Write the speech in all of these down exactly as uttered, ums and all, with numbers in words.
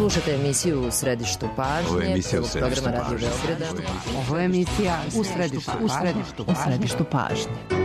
Slušajte emisiju U središtu pažnje. Ovo je emisija U središtu programa pažnje. Radio Beograda. Ovo je emisija U središtu, u središtu, u središtu pažnje.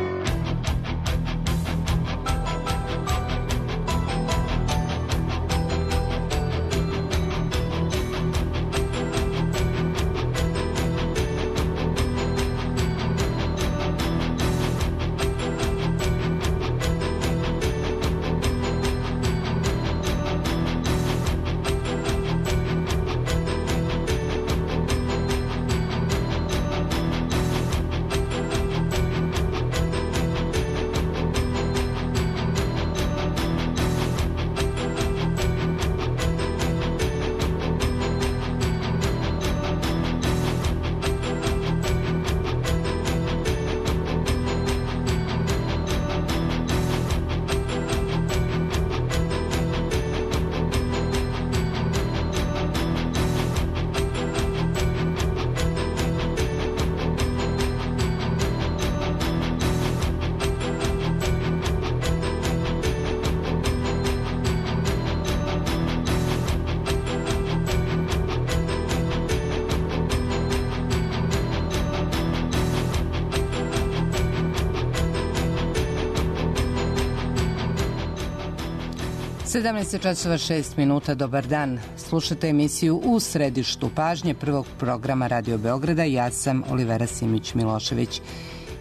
sedamnaest časova šest minuta, dobar dan. Slušate emisiju U središtu pažnje prvog programa Radio Beograda. Ja sam Olivera Simić-Milošević.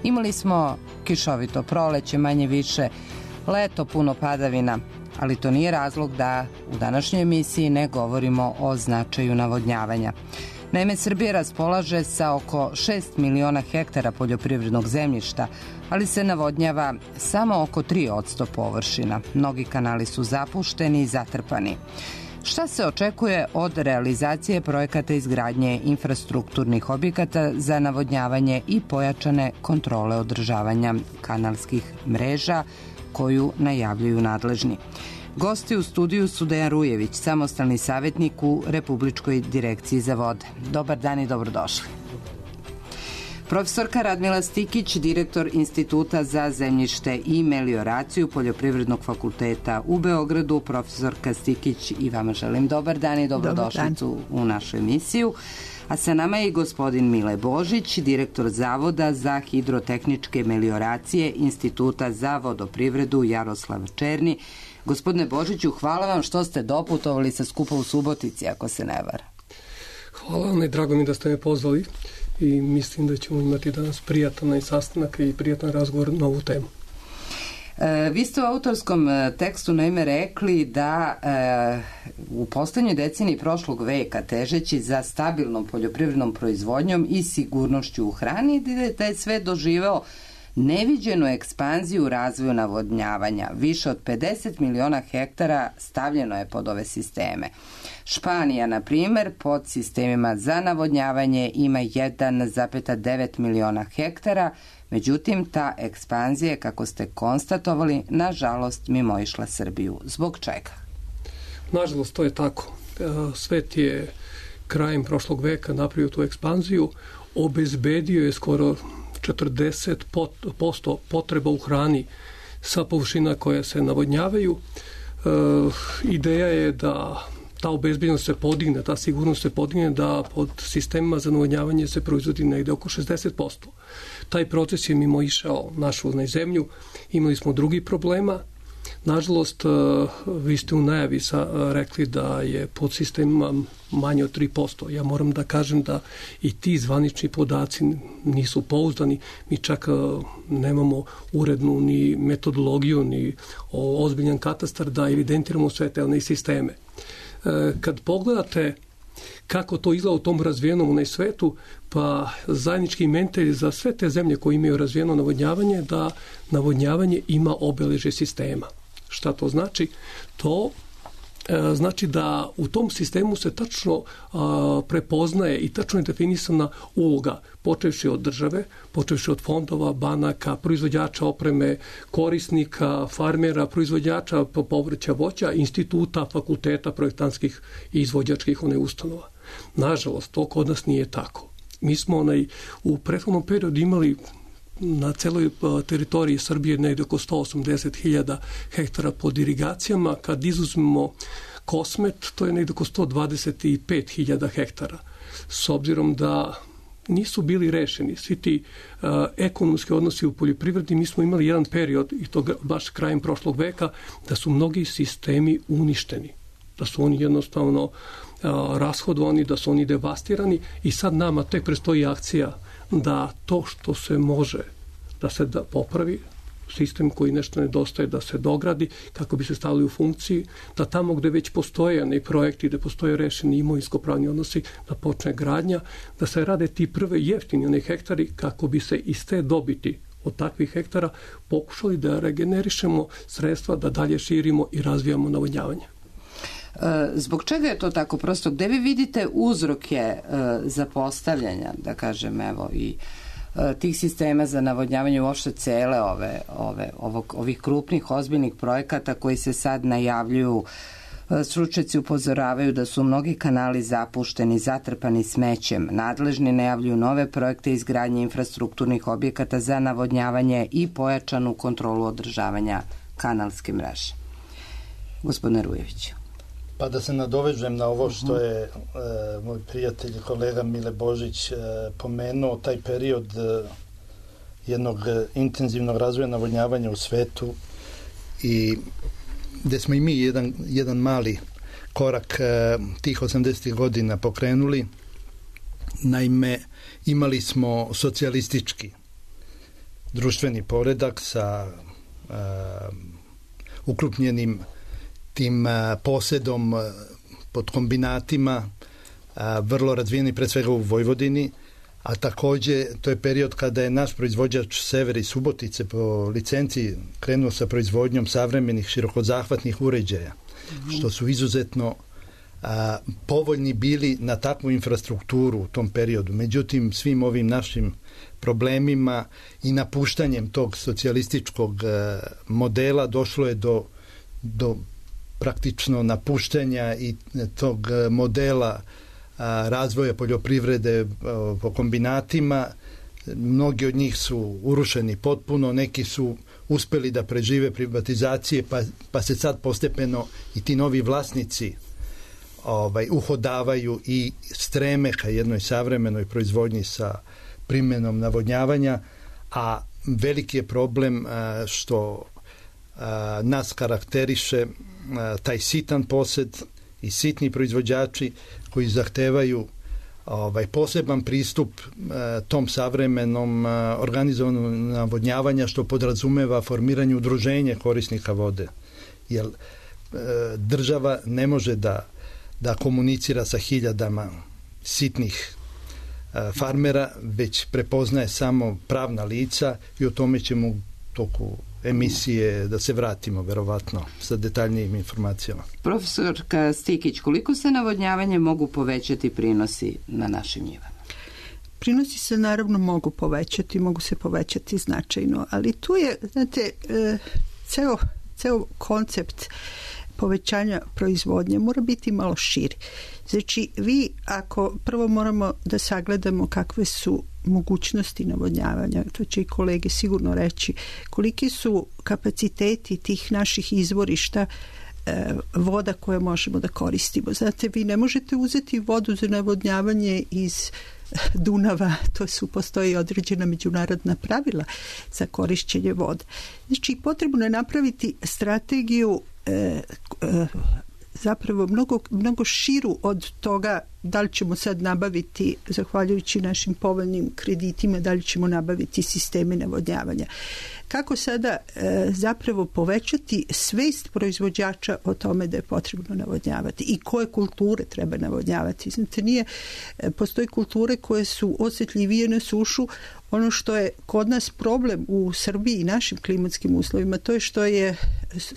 Imali smo kišovito proleće, manje više, leto puno padavina, ali to nije razlog da u današnjoj emisiji ne govorimo o značaju navodnjavanja. Naime, Srbija raspolaže sa oko šest miliona hektara poljoprivrednog zemljišta, ali se navodnjava samo oko tri posto površina. Mnogi kanali su zapušteni i zatrpani. Šta se očekuje od realizacije projekata izgradnje infrastrukturnih objekata za navodnjavanje i pojačane kontrole održavanja kanalskih mreža koju najavljuju nadležni? Gosti u studiju su Dejan Rujević, samostalni savjetnik u Republičkoj direkciji za vode. Dobar dan i dobrodošli. Profesorka Radmila Stikić, direktor Instituta za zemljište i melioraciju Poljoprivrednog fakulteta u Beogradu. Profesorka Stikić, i vama želim dobar dan i dobrodošlicu u našu emisiju. A sa nama je i gospodin Mile Božić, direktor Zavoda za hidrotehničke melioracije Instituta za vodoprivredu Jaroslav Černi. Gospodine Božiću, hvala vam što ste doputovali sa skupa u Subotici, ako se ne vara. Hvala vam i drago mi da ste me pozvali i mislim da ćemo imati danas prijatan sastanak i prijatan razgovor na ovu temu. E, vi ste u autorskom tekstu naime rekli da e, u poslednjoj deceniji prošlog veka, težeći za stabilnom poljoprivrednom proizvodnjom i sigurnošću u hrani, da je sve doživeo neviđenu ekspanziju u razvoju navodnjavanja. Više od pedeset miliona hektara stavljeno je pod ove sisteme. Španija, na primjer, pod sistemima za navodnjavanje ima jedan zarez devet miliona hektara, međutim, ta ekspanzija, kako ste konstatovali, nažalost mimoišla Srbiju. Zbog čega? Nažalost, to je tako. Svet je krajem prošlog veka napravio tu ekspanziju, obezbedio je skoro četrdeset posto potreba u hrani sa površina koje se navodnjavaju. E, ideja je da ta obezbeđenost se podigne, ta sigurnost se podigne, da pod sistemima za navodnjavanje se proizvodi negde oko šezdeset posto. Taj proces je mimo išao našu zemlju. Imali smo drugih problema. Nažalost, vi ste u najavi sa, rekli da je pod sistemima manje od tri posto. Ja moram da kažem da i ti zvanični podaci nisu pouzdani. Mi čak nemamo urednu ni metodologiju, ni ozbiljan katastar da evidentiramo sve te one sisteme. Kad pogledate kako to izgleda u tom razvijenom svetu, pa zajednički imenitelj za sve te zemlje koje imaju razvijeno navodnjavanje, da navodnjavanje ima obeležje sistema. Šta to znači? To e, znači da u tom sistemu se tačno a, prepoznaje i tačno je definisana uloga, počevši od države, počevši od fondova, banaka, proizvođača opreme, korisnika, farmera, proizvođača povrća, voća, instituta, fakulteta, projektantskih i izvođačkih one ustanova. Nažalost, to kod nas nije tako. Mi smo onaj, u prethodnom periodu imali na celoj teritoriji Srbije negdje oko sto osamdeset hiljada hektara pod irigacijama. Kad izuzmemo Kosmet, to je negdje oko sto dvadeset pet hiljada hektara. S obzirom da nisu bili rešeni svi ti uh, ekonomski odnosi u poljoprivredi, mi smo imali jedan period, i to baš krajem prošlog veka, da su mnogi sistemi uništeni, da su oni jednostavno uh, rashodovani, da su oni devastirani i sad nama tek predstoji akcija da to što se može da se da popravi, sistem koji nešto nedostaje da se dogradi kako bi se stavili u funkciji, da tamo gde već postoje ne projekti, gde postoje rešeni imovinsko-pravni odnosi, da počne gradnja, da se rade ti prve jeftini oni hektari kako bi se iz te dobiti od takvih hektara pokušali da regenerišemo sredstva, da dalje širimo i razvijamo navodnjavanje. Zbog čega je to tako prosto? Gde vi vidite uzroke zapostavljanja, da kažem, evo, i tih sistema za navodnjavanje uopšte cele ove, ove, ovog, ovih krupnih, ozbiljnih projekata koji se sad najavljuju? Stručnjaci upozoravaju da su mnogi kanali zapušteni, zatrpani smećem. Nadležni najavljuju nove projekte izgradnje infrastrukturnih objekata za navodnjavanje i pojačanu kontrolu održavanja kanalske mreže. Gospodine Rujević. Pa da se nadovežem na ovo što je e, moj prijatelj i kolega Mile Božić e, pomenuo, taj period e, jednog e, intenzivnog razvoja navodnjavanja u svetu i gde smo i mi jedan, jedan mali korak e, tih osamdesetih godina pokrenuli. Naime, imali smo socijalistički društveni poredak sa e, ukrupnjenim tim posedom pod kombinatima, vrlo razvijeni pre svega u Vojvodini, a takođe to je period kada je naš proizvođač Sever iz Subotice po licenciji krenuo sa proizvodnjom savremenih širokozahvatnih uređaja, mm-hmm. što su izuzetno a, povoljni bili na takvu infrastrukturu u tom periodu. Međutim, svim ovim našim problemima i napuštanjem tog socijalističkog a, modela došlo je do, do praktično napuštanja i tog modela a, razvoja poljoprivrede a, po kombinatima. Mnogi od njih su urušeni potpuno, neki su uspeli da prežive privatizacije, pa, pa se sad postepeno i ti novi vlasnici ovaj, uhodavaju i streme ka jednoj savremenoj proizvodnji sa primjenom navodnjavanja, a veliki je problem a, što a, nas karakteriše a, taj sitan posed i sitni proizvođači koji zahtevaju ovaj poseban pristup a, tom savremenom a, organizovanom navodnjavanja, što podrazumeva formiranje udruženja korisnika vode. Jer a, država ne može da, da komunicira sa hiljadama sitnih a, farmera, već prepoznaje samo pravna lica i o tome ćemo u toku emisije da se vratimo verovatno sa detaljnijim informacijama. Profesorka Stikić, koliko se navodnjavanje mogu povećati prinosi na našim njivama? Prinosi se naravno mogu povećati, mogu se povećati značajno, ali tu je, znate, ceo, ceo koncept povećanja proizvodnje mora biti malo širi. Znači, vi ako prvo moramo da sagledamo kakve su mogućnosti navodnjavanja, to će i kolege sigurno reći, koliki su kapaciteti tih naših izvorišta e, voda koje možemo da koristimo. Znate, vi ne možete uzeti vodu za navodnjavanje iz Dunava, to su, postoji određena međunarodna pravila za korišćenje vode. Znači, potrebno je napraviti strategiju e, e, zapravo mnogo, mnogo širu od toga da li ćemo sad nabaviti, zahvaljujući našim povoljnim kreditima, da li ćemo nabaviti sisteme navodnjavanja. Kako sada e, zapravo povećati svest proizvođača o tome da je potrebno navodnjavati i koje kulture treba navodnjavati. Znate, nije, e, postoji kulture koje su osjetljivije na sušu. Ono što je kod nas problem u Srbiji i našim klimatskim uslovima, to je što je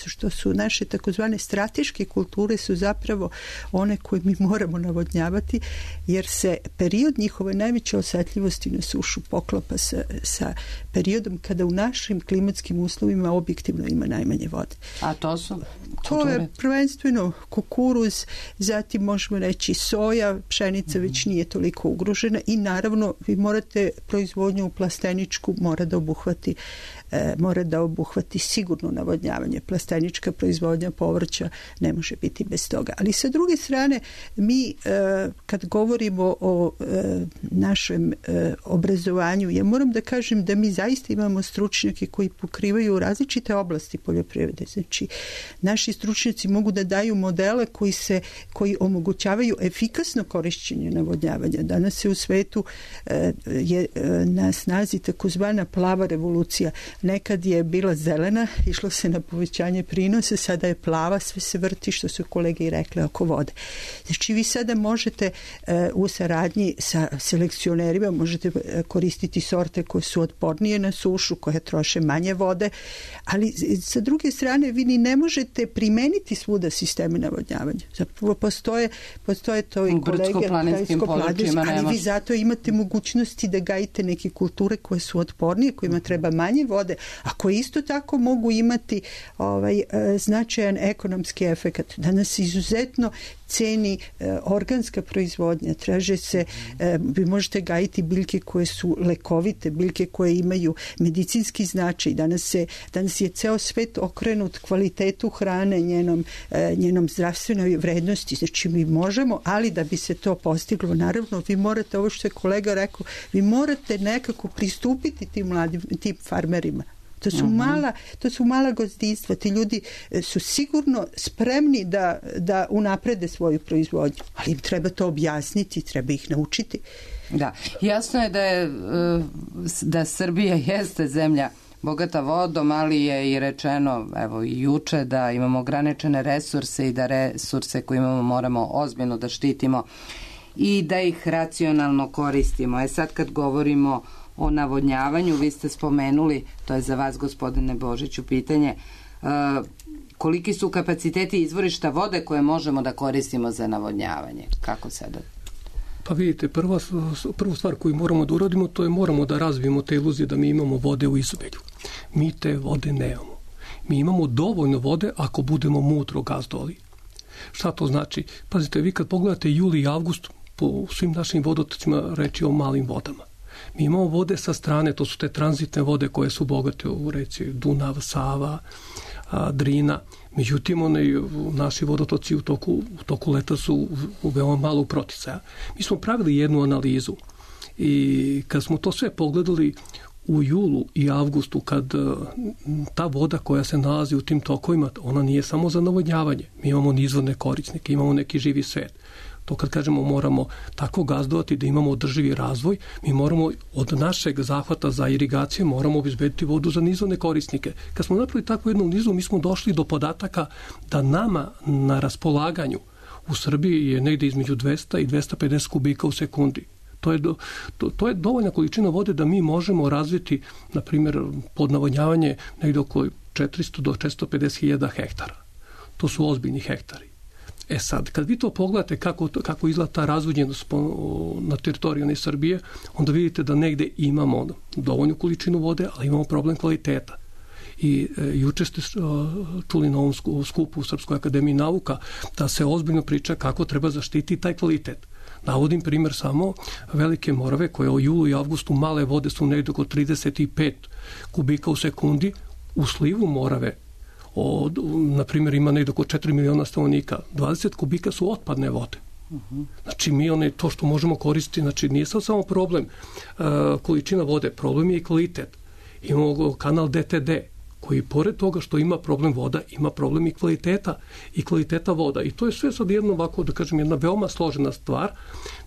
što su naše takozvane strateške kulture su zapravo one koje mi moramo navodnjavati, jer se period njihove najveće osjetljivosti na sušu poklapa sa, sa periodom kada u našim klimatskim uslovima objektivno ima najmanje vode. A to su To je prvenstveno kukuruz, zatim možemo reći soja, pšenica mm-hmm. već nije toliko ugrožena i naravno vi morate proizvodnju u plasteničku mora da obuhvati e, mora da obuhvati sigurno navodnjavanje. Plastenička proizvodnja povrća ne može biti bez toga. Ali sa druge strane mi e, kad govorimo o e, našem e, obrazovanju, ja moram da kažem da mi zaista imamo stručnjake koji pokrivaju različite oblasti poljoprivrede. Znači, naši stručnjaci mogu da daju modele koji se koji omogućavaju efikasno korišćenje navodnjavanja. Danas se u svetu e, je e, na snazi takozvana plava revolucija. Nekad je bila zelena, išlo se na povećanje prinosa, sada je plava, sve se vrti, što su kolege i rekle, oko vode. Znači, vi sada možete e, u saradnji sa selekcionerima možete koristiti sorte koje su otpornije na sušu, koje troše manje vode, ali sa druge strane vi ni ne možete primeniti svuda sisteme navodnjavanja. Zapravo postoje, postoje to i kolege brdsko-planinskim područjima, ali vi zato imate mogućnosti da gajite neke kulture koje su otpornije, kojima treba manje vode, a koje isto tako mogu imati ovaj, značajan ekonomski efekat. Danas izuzetno ceni e, organska proizvodnja, traže se, e, vi možete gajiti biljke koje su lekovite, biljke koje imaju medicinski značaj. Danas, se, danas je ceo svet okrenut kvalitetu hrane, njenom, e, njenom zdravstvenoj vrednosti. Znači mi možemo, ali da bi se to postiglo, naravno vi morate, ovo što je kolega rekao, vi morate nekako pristupiti tim mladim, tim farmerima. To su, mala, to su mala gazdinstva. Ti ljudi su sigurno spremni da, da unaprede svoju proizvodnju, ali im treba to objasniti, treba ih naučiti. Da, jasno je da, je, da Srbija jeste zemlja bogata vodom, ali je i rečeno, evo i juče, da imamo ograničene resurse i da resurse koje imamo moramo ozbiljno da štitimo i da ih racionalno koristimo. E sad kad govorimo o navodnjavanju, vi ste spomenuli, to je za vas, gospodine Božiću, pitanje, koliki su kapaciteti izvorišta vode koje možemo da koristimo za navodnjavanje? Kako sada? Pa vidite, prva, prvu stvar koju moramo da uradimo, to je moramo da razvijemo te iluzije da mi imamo vode u izobilju. Mi te vode nemamo. Mi imamo dovoljno vode ako budemo mudro gazdovali. Šta to znači? Pazite, vi kad pogledate juli i avgust, po svim našim vodotocima reći o malim vodama. Mi imamo vode sa strane, to su te tranzitne vode koje su bogate u reci Dunav, Sava, Drina. Međutim, one, naši vodotoci u toku, u toku leta su u veoma malo proticaja. Mi smo pravili jednu analizu i kad smo to sve pogledali u julu i avgustu, kad ta voda koja se nalazi u tim tokovima, ona nije samo za navodnjavanje. Mi imamo nizvodne korisnike, imamo neki živi svet. To kad kažemo moramo tako gazdovati da imamo održivi razvoj, mi moramo od našeg zahvata za irigaciju moramo obezbediti vodu za nizvodne korisnike. Kad smo napravili takvu jednu nizu, mi smo došli do podataka da nama na raspolaganju u Srbiji je negde između dvesta i dvesta pedeset kubika u sekundi. To je, do, to, to je dovoljna količina vode da mi možemo razviti, na primjer, pod navodnjavanje negde oko četiristo do četiristo pedeset hiljada hektara. To su ozbiljni hektari. E sad, kad vi to pogledate kako, kako izgleda ta razvodnjenost na teritoriji Srbije, onda vidite da negde imamo dovoljnu količinu vode, ali imamo problem kvaliteta. I e, juče ste čuli na ovom skupu u Srpskoj akademiji nauka da se ozbiljno priča kako treba zaštiti taj kvalitet. Navodim primjer samo Velike Morave koje u julu i avgustu male vode su negde oko trideset pet kubika u sekundi, u slivu Morave od, na primjer, ima negdje oko četiri miliona stanovnika, dvadeset kubika su otpadne vode. Uh-huh. Znači, mi one, to što možemo koristiti, znači, nije sad samo problem uh, količina vode, problem je i kvalitet. Imamo kanal D T D, koji pored toga što ima problem voda, ima problem i kvaliteta, i kvaliteta voda. I to je sve sad jedno ovako, da kažem, jedna veoma složena stvar.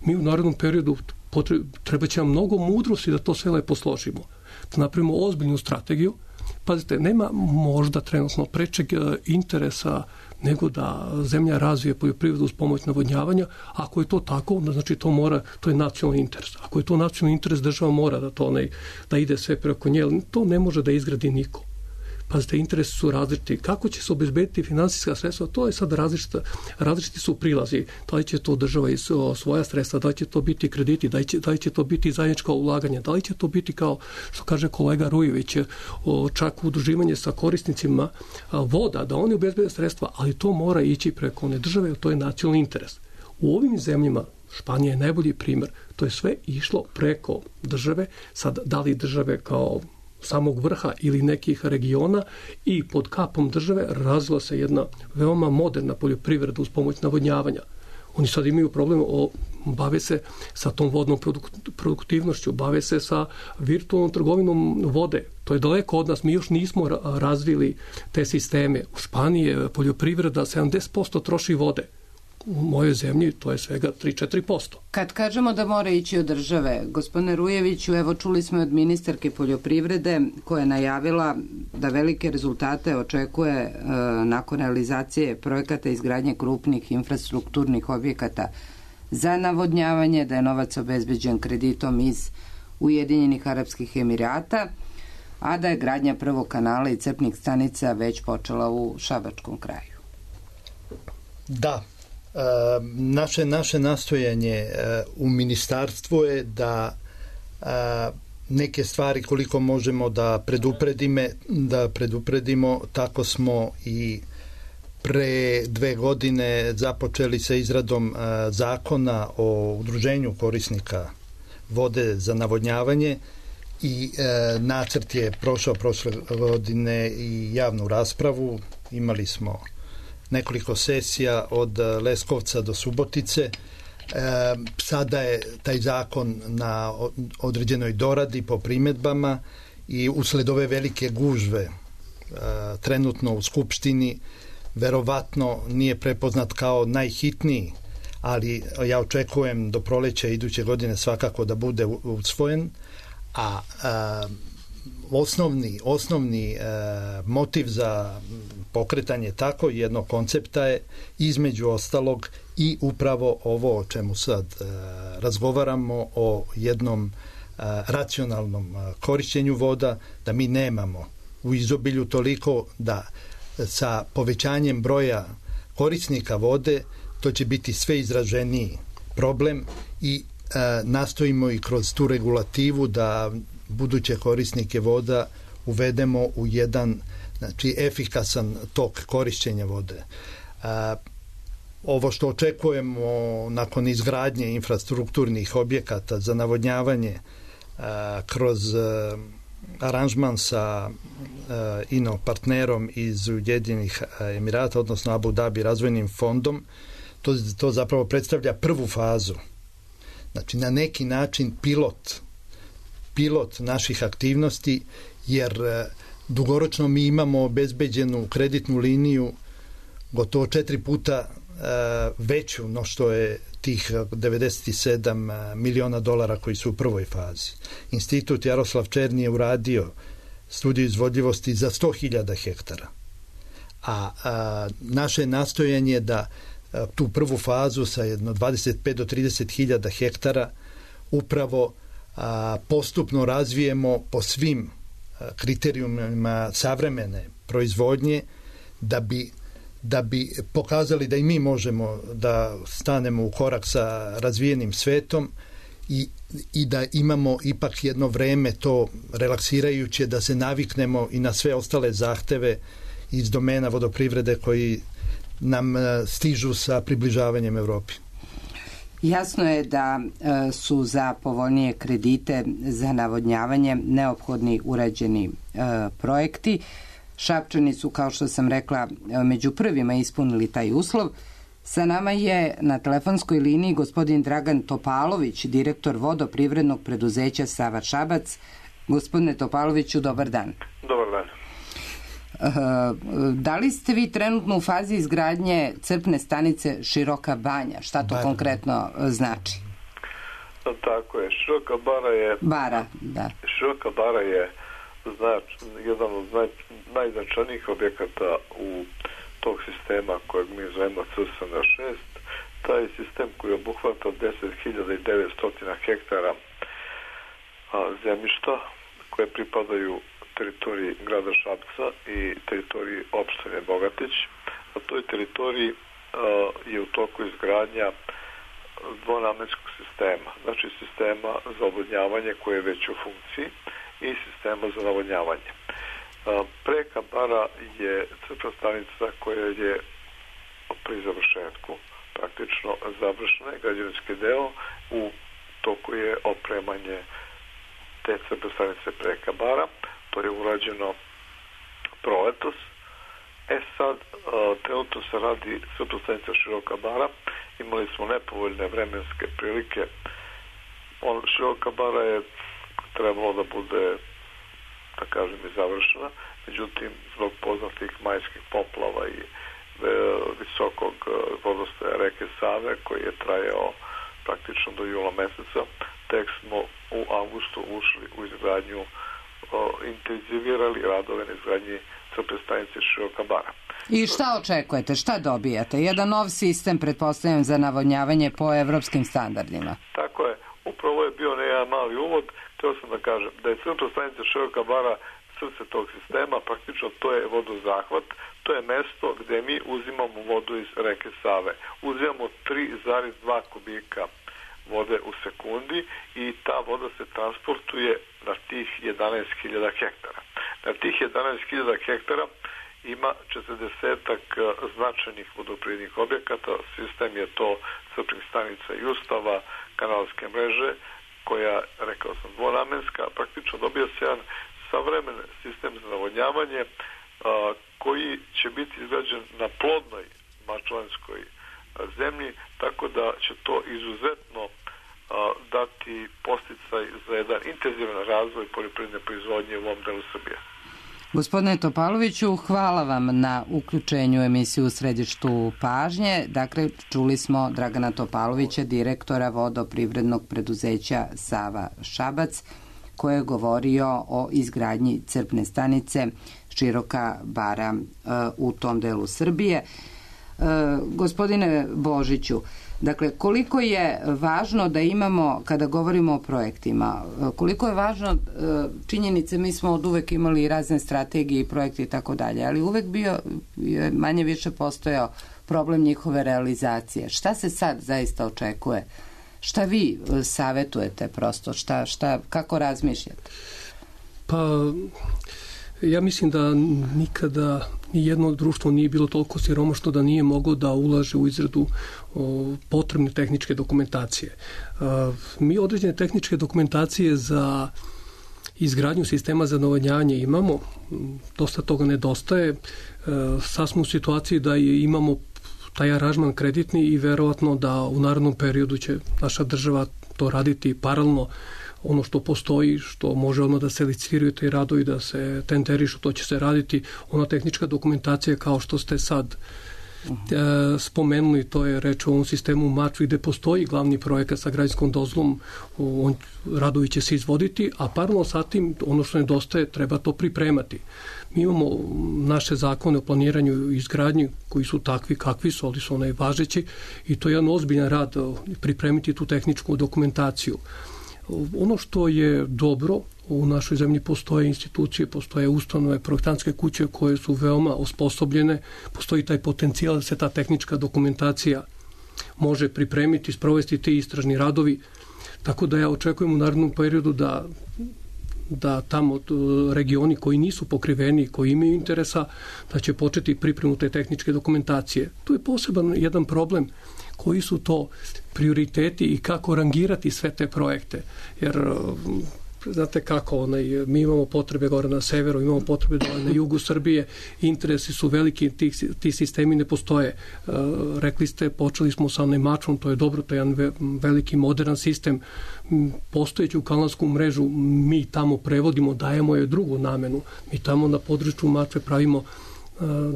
Mi u narednom periodu potreb, treba će nam mnogo mudrosti da to sve lepo složimo. Da napravimo ozbiljnu strategiju. Pazite, nema možda trenutno prečeg interesa nego da zemlja razvije poljoprivredu uz pomoć navodnjavanja. Ako je to tako, onda znači to mora, to je nacionalni interes. Ako je to nacionalni interes, država mora da to ne, da ide sve preko nje, to ne može da izgradi niko. Pazite, interesi su različiti. Kako će se obezbediti finansijska sredstva, to je sad različita, različiti su prilazi. Da li će to država iz svoja sredstva, da li će to biti krediti, da li će, da li će to biti zajedničko ulaganje, da li će to biti, kao što kaže kolega Rujević, čak udruživanje sa korisnicima voda, da oni obezbede sredstva, ali to mora ići preko one države, to je nacionalni interes. U ovim zemljama, Španija je najbolji primjer, to je sve išlo preko države, sad da li države kao samog vrha ili nekih regiona, i pod kapom države razvila se jedna veoma moderna poljoprivreda uz pomoć navodnjavanja. Oni sad imaju problem, o, bave se sa tom vodnom produktivnošću, bave se sa virtualnom trgovinom vode. To je daleko od nas, mi još nismo razvili te sisteme. U Španiji je poljoprivreda sedamdeset posto troši vode. U mojoj zemlji to je svega tri do četiri posto. Kad kažemo da mora ići od države, gospodine Rujeviću, evo čuli smo od ministarke poljoprivrede koja je najavila da velike rezultate očekuje e, nakon realizacije projekata izgradnje krupnih infrastrukturnih objekata za navodnjavanje, da je novac obezbeđen kreditom iz Ujedinjenih Arapskih Emirata, a da je gradnja prvog kanala i crpnih stanica već počela u Šabačkom kraju. Da. Uh, naše, naše nastojanje uh, u ministarstvu je da uh, neke stvari koliko možemo da predupredime, da predupredimo, tako smo i pre dve godine započeli sa izradom uh, zakona o udruženju korisnika vode za navodnjavanje i uh, nacrt je prošao prošle godine i javnu raspravu. Imali smo nekoliko sesija od Leskovca do Subotice. E, sada je taj zakon na određenoj doradi po primjedbama i usled ove velike gužve e, trenutno u Skupštini verovatno nije prepoznat kao najhitniji, ali ja očekujem do proleća iduće godine svakako da bude usvojen, a, a osnovni, osnovni e, motiv za pokretanje tako jednog koncepta je između ostalog i upravo ovo o čemu sad e, razgovaramo, o jednom e, racionalnom e, korišćenju voda, da mi nemamo u izobilju toliko da sa povećanjem broja korisnika vode to će biti sve izraženiji problem i e, nastojimo i kroz tu regulativu da buduće korisnike voda uvedemo u jedan, znači, efikasan tok korišćenja vode. A, ovo što očekujemo nakon izgradnje infrastrukturnih objekata za navodnjavanje a, kroz a, aranžman sa a, ino partnerom iz Ujedinjenih Emirata, odnosno Abu Dhabi razvojnim fondom, to, to zapravo predstavlja prvu fazu. Znači, na neki način pilot pilot naših aktivnosti, jer dugoročno mi imamo obezbeđenu kreditnu liniju gotovo četiri puta veću no što je tih devedeset sedam miliona dolara koji su u prvoj fazi. Institut Jaroslav Černi je uradio studiju izvodljivosti za sto hiljada hektara. A, a naše nastojanje je da a, tu prvu fazu sa jedno dvadeset pet do trideset hiljada hektara upravo a, postupno razvijemo po svim a, kriterijumima savremene proizvodnje, da bi da bi pokazali da i mi možemo da stanemo u korak sa razvijenim svetom i, i da imamo ipak jedno vreme to relaksirajuće, da se naviknemo i na sve ostale zahteve iz domena vodoprivrede koji nam stižu sa približavanjem Evropi. Jasno je da e, su za povoljnije kredite za navodnjavanje neophodni urađeni e, projekti. Šapčani su, kao što sam rekla, među prvima ispunili taj uslov. Sa nama je na telefonskoj liniji gospodin Dragan Topalović, direktor vodoprivrednog preduzeća Sava Šabac. Gospodine Topaloviću, dobar dan. Dobar dan. Da li ste vi trenutno u fazi izgradnje crpne stanice Široka Banja? Šta to Bara. konkretno znači? Tako je. Široka Bara je... Bara, da. Široka Bara je znač, jedan od naj, najznačajnijih objekata u tog sistema kojeg mi zovemo C S N šest. Taj sistem koji obuhvata deset hiljada devetsto hektara a, zemljišta koje pripadaju teritoriji grada Šapca i teritoriji opštine Bogatić. Na toj teritoriji je u toku izgradnja dvonamenskog sistema, znači sistema za odvodnjavanje koje je već u funkciji i sistema za navodnjavanje. Preka bara je crpna stanica koja je pri završetku, praktično završena, građevinski deo, u toku je opremanje te crpne stanice Preka bara. To je urađeno proletos. E sad, trenutno se radi crpna stanica Široka bara. Imali smo nepovoljne vremenske prilike. On, Široka bara je trebalo da bude, da kažem, i završena. Međutim, zbog poznatih majskih poplava i visokog vodostaja reke Save, koji je trajao praktično do jula meseca, tek smo u avgustu ušli u izgradnju, intenzivirali radove na izgradnji crpne stanice Široka bara. I šta očekujete? Šta dobijate? Jedan nov sistem, pretpostavljam, za navodnjavanje po evropskim standardima. Tako je. Upravo je bio jedan mali uvod. Htio sam da kažem da je crpna stanica Široka bara srce tog sistema, praktično to je vodozahvat, to je mesto gde mi uzimamo vodu iz reke Save. Uzimamo tri zarez dva kubika vode u sekundi i ta voda se transportuje na tih jedanaest hiljada hektara. Na tih jedanaest hiljada hektara ima četrdesetak značajnih vodoprivrednih objekata. Sistem je to crpnih stanica i ustava, kanalske mreže, koja, rekao sam, dvonamenska, praktično dobija se jedan savremen sistem za navodnjavanje koji će biti izgrađen na plodnoj mačvanskoj zemlji, tako da će to izuzetno dati podsticaj za jedan intenzivan razvoj poljoprivredne proizvodnje u ovom delu Srbije. Gospodine Topaloviću, hvala vam na uključenju u emisiju U središtu pažnje. Dakle, čuli smo Dragana Topalovića, direktora vodoprivrednog preduzeća Sava Šabac, koji je govorio o izgradnji crpne stanice Široka bara u tom delu Srbije. Gospodine Božiću, dakle, koliko je važno da imamo, kada govorimo o projektima, koliko je važno činjenice, mi smo od uvek imali razne strategije i projekte i tako dalje, ali uvek bio, manje više postojao problem njihove realizacije. Šta se sad zaista očekuje? Šta vi savetujete prosto? Šta, šta, kako razmišljate? Pa, ja mislim da nikada nijedno društvo nije bilo toliko siromašno da nije moglo da ulaže u izradu o, potrebne tehničke dokumentacije. A, mi određene tehničke dokumentacije za izgradnju sistema za navodnjavanje imamo, dosta toga nedostaje. A, sad smo u situaciji da imamo taj aranžman kreditni i verovatno da u narednom periodu će naša država to raditi paralelno. Ono što postoji, što može odmah da se licitiraju te radovi, da se tenderišu, to će se raditi. Ona tehnička dokumentacija kao što ste sad e, spomenuli, to je reč o ovom sistemu Mačvi gde postoji glavni projekat sa građanskom dozvolom, on, radovi će se izvoditi, a paralelno sa tim ono što nedostaje treba to pripremati. Mi imamo naše zakone o planiranju i izgradnji koji su takvi kakvi su, ali su onaj važeći i to je jedan ozbiljan rad pripremiti tu tehničku dokumentaciju. Ono što je dobro, u našoj zemlji postoje institucije, postoje ustanove, projektantske kuće koje su veoma osposobljene, postoji taj potencijal da se ta tehnička dokumentacija može pripremiti, sprovesti ti istražni radovi, tako da ja očekujem u narednom periodu da da tamo regioni koji nisu pokriveni, koji imaju interesa, da će početi pripremu te tehničke dokumentacije. Tu je poseban jedan problem, koji su to prioriteti i kako rangirati sve te projekte. Jer znate kako, onaj, mi imamo potrebe gore na severu, imamo potrebe dole na jugu Srbije, interesi su veliki, ti, ti sistemi ne postoje. Uh, rekli ste, počeli smo sa onaj Mačvom, to je dobro, to je jedan ve, veliki moderan sistem. Postojeću kanalsku mrežu mi tamo prevodimo, dajemo je drugu namenu. Mi tamo na području Mačve pravimo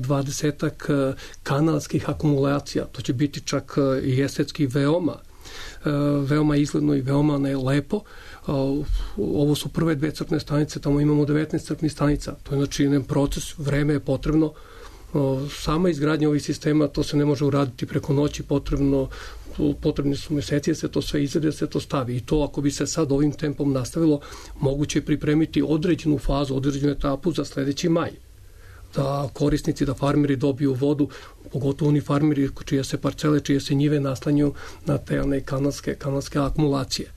dvadesetak kanalskih akumulacija. To će biti čak i estetski veoma veoma izgledno i veoma ne lepo. Ovo su prve dve crpne stanice, tamo imamo devetnaest crpnih stanica. To je znači jedan proces, vreme je potrebno. Sama izgradnja ovih sistema, to se ne može uraditi preko noći, potrebno potrebni su meseci da se to sve izvede, da se to stavi. I to ako bi se sad ovim tempom nastavilo, moguće je pripremiti određenu fazu, određenu etapu za sledeći maj. Da korisnici, da farmeri dobiju vodu, pogotovo oni farmeri čije se parcele, čije se njive naslanjuju na te one kanalske, kanalske akumulacije.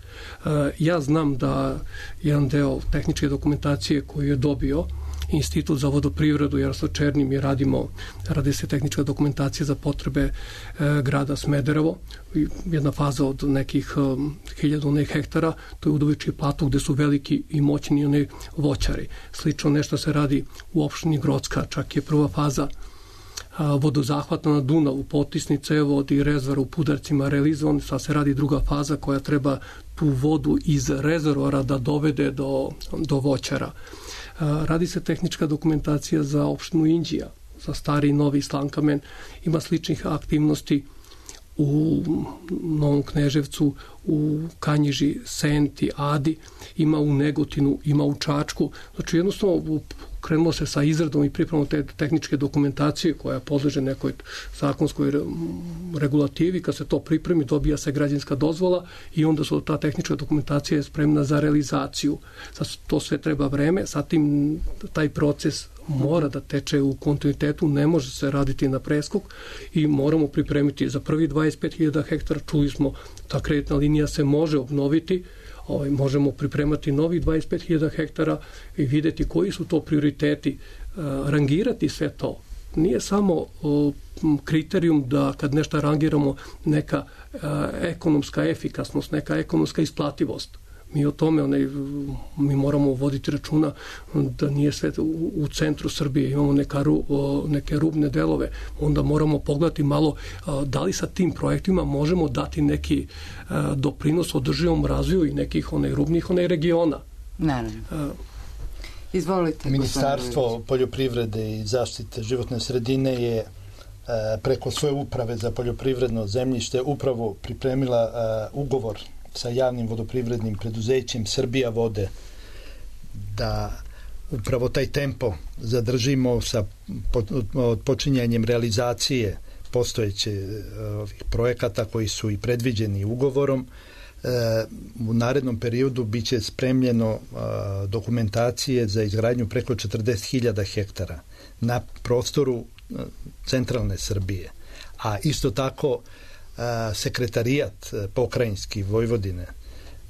Ja znam da jedan deo tehničke dokumentacije koju je dobio Institut za vodoprivredu Jaroslav Černi, mi radimo, radi se tehnička dokumentacija za potrebe e, grada Smederevo, jedna faza od nekih um, hiljadu onih hektara, to je Udovički plato gde su veliki i moćni oni voćari. Slično nešto se radi u opštini Grocka, čak je prva faza a, vodozahvata na Dunavu, potisni cevovod i rezervoar u Pudarcima realizovan, sad se radi druga faza koja treba tu vodu iz rezervoara da dovede do, do voćara. Radi se tehnička dokumentacija za opštinu Inđija, za stari i novi Slankamen. Ima sličnih aktivnosti u Novom Kneževcu, u Kanjiži, Senti, Adi, ima u Negotinu, ima u Čačku. Znači jednostavno krenulo se sa izradom i pripremom te tehničke dokumentacije koja podleže nekoj zakonskoj regulativi. Kad se to pripremi, dobija se građevinska dozvola i onda su ta tehnička dokumentacija je spremna za realizaciju. Sad to sve treba vreme, sad tim taj proces mora da teče u kontinuitetu, ne može se raditi na preskok i moramo pripremiti za prvi dvadeset pet hiljada hektara. Čuli smo, ta kreditna linija se može obnoviti, ovaj, možemo pripremati novi dvadeset pet hiljada hektara i videti koji su to prioriteti, rangirati sve to. Nije samo kriterijum da kad nešto rangiramo neka ekonomska efikasnost, neka ekonomska isplativost. Mi o tome, onaj, mi moramo voditi računa da nije sve u, u centru Srbije, imamo neka, neke rubne delove, onda moramo pogledati malo da li sa tim projektima možemo dati neki doprinos održivom razvoju i nekih onaj, rubnih onaj, regiona. Naravno. Izvolite. Ministarstvo poljoprivrede i zaštite životne sredine je preko svoje uprave za poljoprivredno zemljište upravo pripremila ugovor sa javnim vodoprivrednim preduzećem Srbija vode da upravo taj tempo zadržimo sa počinjanjem realizacije postojeće ovih projekata koji su i predviđeni ugovorom. U narednom periodu biće spremljeno dokumentacije za izgradnju preko četrdeset hiljada hektara na prostoru centralne Srbije. A isto tako sekretarijat pokrajinski Vojvodine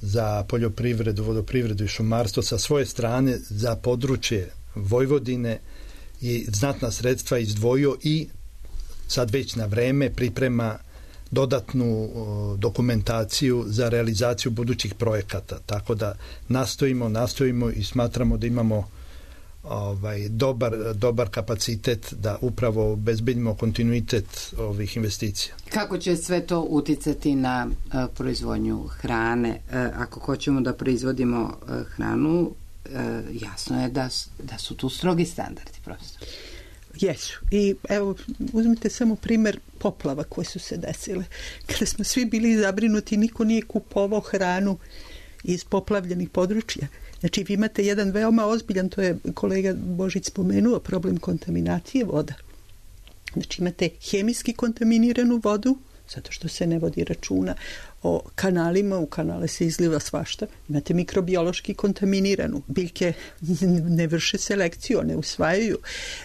za poljoprivredu, vodoprivredu i šumarstvo sa svoje strane za područje Vojvodine i znatna sredstva izdvojio i sad već na vreme priprema dodatnu dokumentaciju za realizaciju budućih projekata. Tako da nastojimo, nastojimo i smatramo da imamo ovaj dobar, dobar kapacitet da upravo obezbedimo kontinuitet ovih investicija. Kako će sve to uticati na uh, proizvodnju hrane? Uh, ako hoćemo da proizvodimo uh, hranu, uh, jasno je da, da su tu strogi standardi, profesor. Jesu. I evo, uzmite samo primer poplava koje su se desile. Kada smo svi bili zabrinuti, niko nije kupovao hranu iz poplavljenih područja. Znači, vi imate jedan veoma ozbiljan, to je kolega Božić spomenuo, problem kontaminacije voda. Znači, imate hemijski kontaminiranu vodu, zato što se ne vodi računa o kanalima, u kanale se izliva svašta. Imate mikrobiološki kontaminiranu. Biljke ne vrše selekciju, ne usvajaju.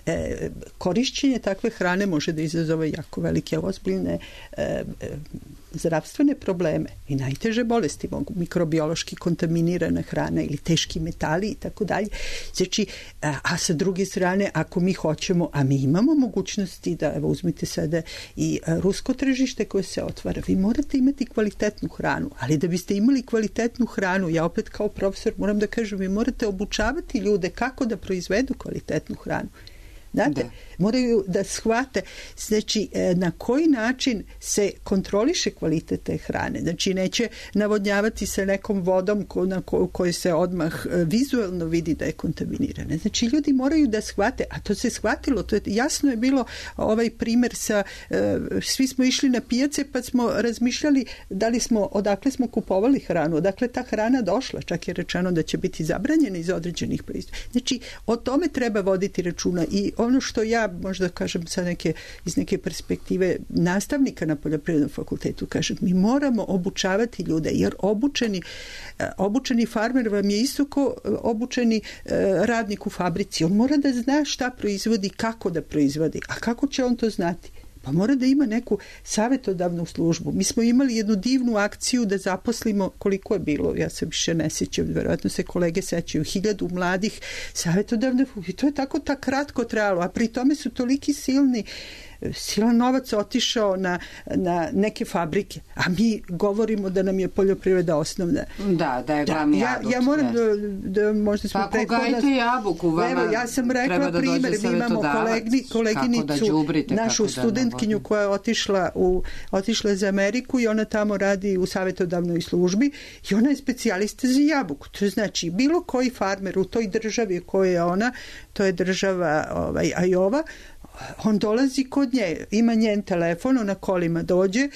E, korišćenje takve hrane može da izazove jako velike ozbiljne e, e, zdravstvene probleme i najteže bolesti mogu mikrobiološki kontaminirana hrana ili teški metali i tako dalje. Znači, a, a sa druge strane, ako mi hoćemo, a mi imamo mogućnosti da, evo, uzmite sada i a, rusko tržište koje se otvara, vi morate imati kvalitetnu hranu, ali da biste imali kvalitetnu hranu, ja opet kao profesor moram da kažem, vi morate obučavati ljude kako da proizvedu kvalitetnu hranu. Znate, da. Moraju da shvate, znači, na koji način se kontroliše kvalitet te hrane. Znači, neće navodnjavati se nekom vodom ko, na ko, kojoj se odmah vizualno vidi da je kontaminirana. Znači, ljudi moraju da shvate, a to se shvatilo, to je, jasno je bilo ovaj primer sa, svi smo išli na pijace pa smo razmišljali da li smo, odakle smo kupovali hranu, odakle ta hrana došla, čak je rečeno da će biti zabranjena iz određenih proizvoda. Znači, o tome treba voditi računa i ono što ja možda kažem sa neke, iz neke perspektive nastavnika na poljoprivrednom fakultetu, kažem, mi moramo obučavati ljude, jer obučeni, obučeni farmer vam je isto ko obučeni radnik u fabrici. On mora da zna šta proizvodi, kako da proizvodi. A kako će on to znati? Pa mora da ima neku savjetodavnu službu. Mi smo imali jednu divnu akciju da zaposlimo, koliko je bilo, ja se više ne sjećam, verovatno se kolege sećaju, hiljadu mladih savjetodavne, i to je tako tak kratko trajalo, a pri tome su toliki silni silan novac otišao na, na neke fabrike, a mi govorimo da nam je poljoprivreda osnovna. Da, da je glavni ja, adut. Ja moram da, da možda smo pa ako gajite jabuku, vama evo, ja sam rekla da primjer, mi imamo kolegni, koleginicu, da džubrite, našu studentkinju koja je otišla, u, otišla za Ameriku i ona tamo radi u savjetodavnoj službi i ona je specijalista za jabuku. To znači bilo koji farmer u toj državi koja je ona, to je država ovaj, Ajova, on dolazi kod nje, ima njen telefon, ona kolima dođe,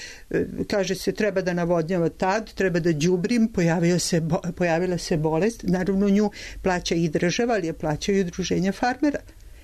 kaže se treba da navodnjava tad, treba da đubrim, pojavio se, pojavila se bolest, naravno nju plaća i država, ali je plaća i udruženja farmera.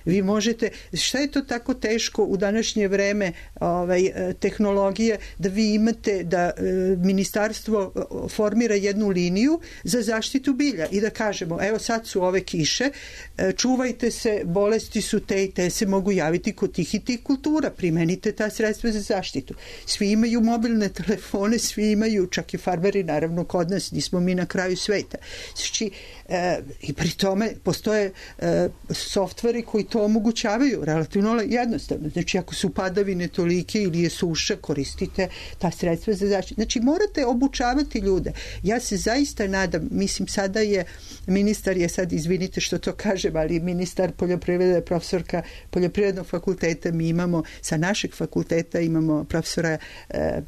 Vi možete, šta je to tako teško u današnje vreme ovaj, tehnologije, da vi imate da e, ministarstvo formira jednu liniju za zaštitu bilja i da kažemo, evo sad su ove kiše, e, čuvajte se, bolesti su te i te se mogu javiti kod tih i tih kultura, primenite ta sredstva za zaštitu. Svi imaju mobilne telefone, svi imaju, čak i farmeri, naravno kod nas, nismo mi na kraju sveta. Znači, e, i pri tome postoje e, softveri koji to omogućavaju relativno jednostavno. Znači, ako su padavine tolike ili je suša, koristite ta sredstva za zaštitu. Znači, morate obučavati ljude. Ja se zaista nadam, mislim, sada je ministar je sad, izvinite što to kažem, ali ministar poljoprivrede, profesorka poljoprivrednog fakulteta, mi imamo, sa našeg fakulteta imamo profesora e,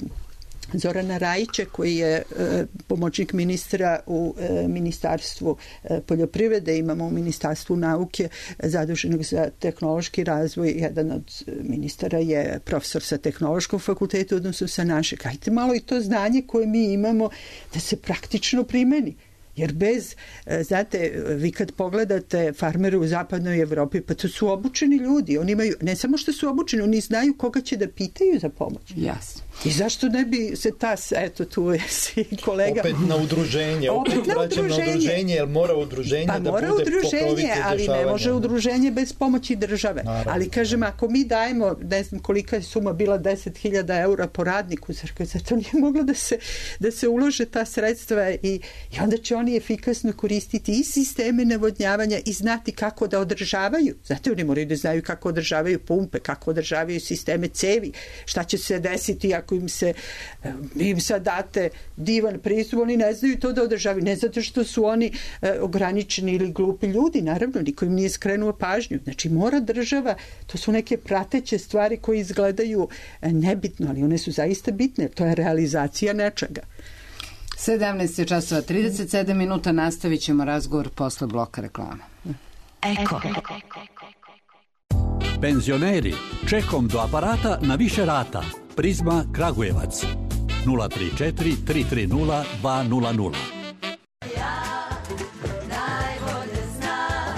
Zorana Rajića, koji je e, pomoćnik ministra u e, Ministarstvu e, poljoprivrede, imamo u Ministarstvu nauke zaduženog za tehnološki razvoj, jedan od ministara je profesor sa tehnološkom fakultetu, odnosno sa našeg. Hajde malo i to znanje koje mi imamo da se praktično primeni. Jer bez, znate, vi kad pogledate farmere u zapadnoj Evropi, pa to su obučeni ljudi. Oni imaju, ne samo što su obučeni, oni znaju koga će da pitaju za pomoć. Jasno. I zašto ne bi se ta, eto tu je si kolega. Opet na udruženje, opet, opet na udruženje. na udruženje, jer mora udruženje pa da mora bude udruženje, ali ne može udruženje bez pomoći države. Naravno. Ali kažem, ako mi dajemo, ne znam kolika je suma bila, deset hiljada eura po radniku, zato nije moglo da se, da se ulože ta sredstva i, i onda će oni efikasno koristiti i sisteme navodnjavanja i znati kako da održavaju. Zato oni moraju da znaju kako održavaju pumpe, kako održavaju sisteme cevi, šta će se desiti ako im se im sad date divan pristup, oni ne znaju to da održavaju, ne zato što su oni e, ograničeni ili glupi ljudi, naravno, niko im nije skrenuo pažnju. Znači, mora država, to su neke prateće stvari koje izgledaju e, nebitno, ali one su zaista bitne, to je realizacija nečega. sedamnaest časova trideset sedam minuta, nastavit ćemo razgovor posle bloka reklama. Eko. Penzioneri, čekom do aparata na više rata. Prizma Kragujevac nula tri četiri tri tri nula dva nula nula. Ja najbolje znam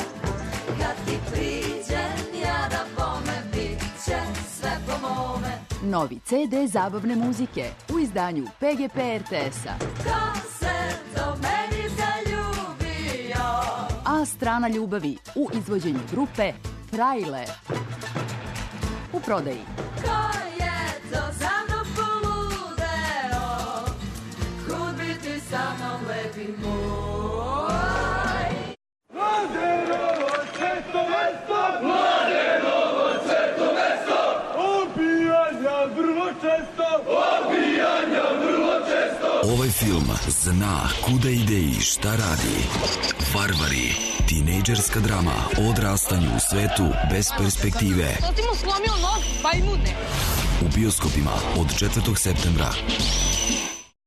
kad ti priđem ja da bome bit će sve po mome. Novi ce de zabavne muzike u izdanju pe ge pe er te es-a. Ko se do meni zaljubio? A strana ljubavi u izvođenju grupe Frajle. U prodaji. Ko je to za mnom poludeo? Kud bi ti sa mnom lepi moj? Mladenovo sveto mesto! Mladenovo sveto mesto! Obijanja vrlo često! Obijanja vrlo često! Ovaj film zna kuda ide i šta radi. Varvari. Tinejdžerska drama o odrastanju u svetu bez perspektive. To ti mu slomio nos, bajmune. U bioskopima od četvrtog septembra.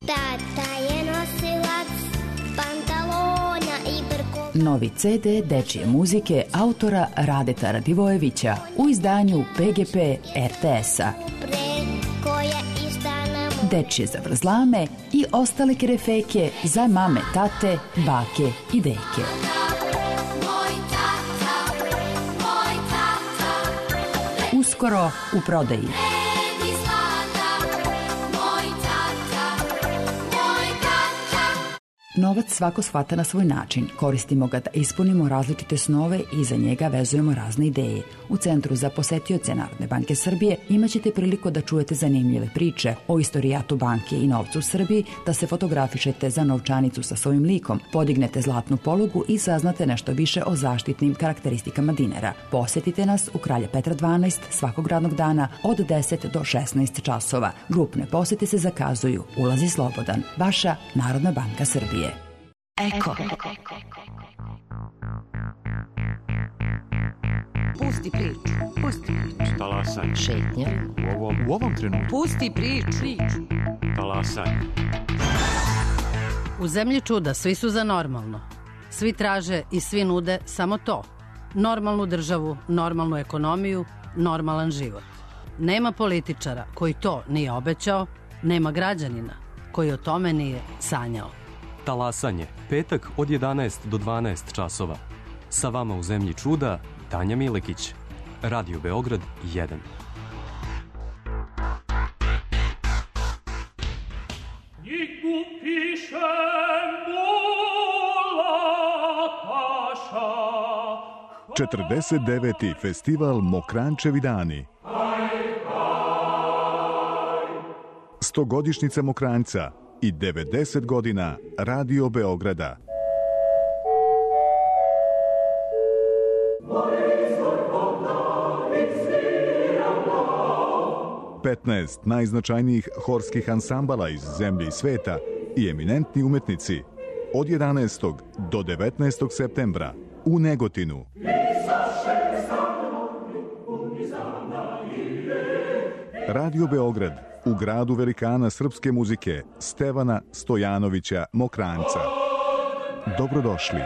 Tata je nosilac pantalona i brkova. Novi ce de dečije muzike autora Radeta Radivojevića u izdanju pe ge pe er te es-a. Dečije zavrzlame i ostale kerefeke za mame, tate, bake i deke. Uskoro u prodaji. Novac svako shvata na svoj način. Koristimo ga da ispunimo različite snove i za njega vezujemo razne ideje. U Centru za posetioce Narodne banke Srbije imaćete priliku da čujete zanimljive priče o istorijatu banke i novcu u Srbiji, da se fotografišete za novčanicu sa svojim likom, podignete zlatnu polugu i saznate nešto više o zaštitnim karakteristikama dinara. Posetite nas u Kralja Petra dvanaest svakog radnog dana od deset do šesnaest časova. Grupne posete se zakazuju. Ulaz je slobodan. Vaša Narodna banka Srbije. Eko. Pusti priču. Pusti priču. Talasaj. Šetnja. U ovom, u ovom trenutku. Pusti priču. priču. Talasaj. U zemlji čuda svi su za normalno. Svi traže i svi nude samo to. Normalnu državu, normalnu ekonomiju, normalan život. Nema političara koji to nije obećao, nema građanina koji o tome nije sanjao. Talasanje, petak od jedanaest do dvanaest časova. Sa vama u zemlji čuda, Tanja Milekić. Radio Beograd jedan. četrdeset deveti festival Mokrančevi dani. Stogodišnjica Mokranjca i devedeset godina Radio Beograda. petnaest najznačajnijih horskih ansambala iz zemlje i sveta i eminentni umetnici od jedanaestog do devetnaestog septembra u Negotinu. Radio Beograd u gradu velikana srpske muzike Stevana Stojanovića Mokranjca. Dobrodošli.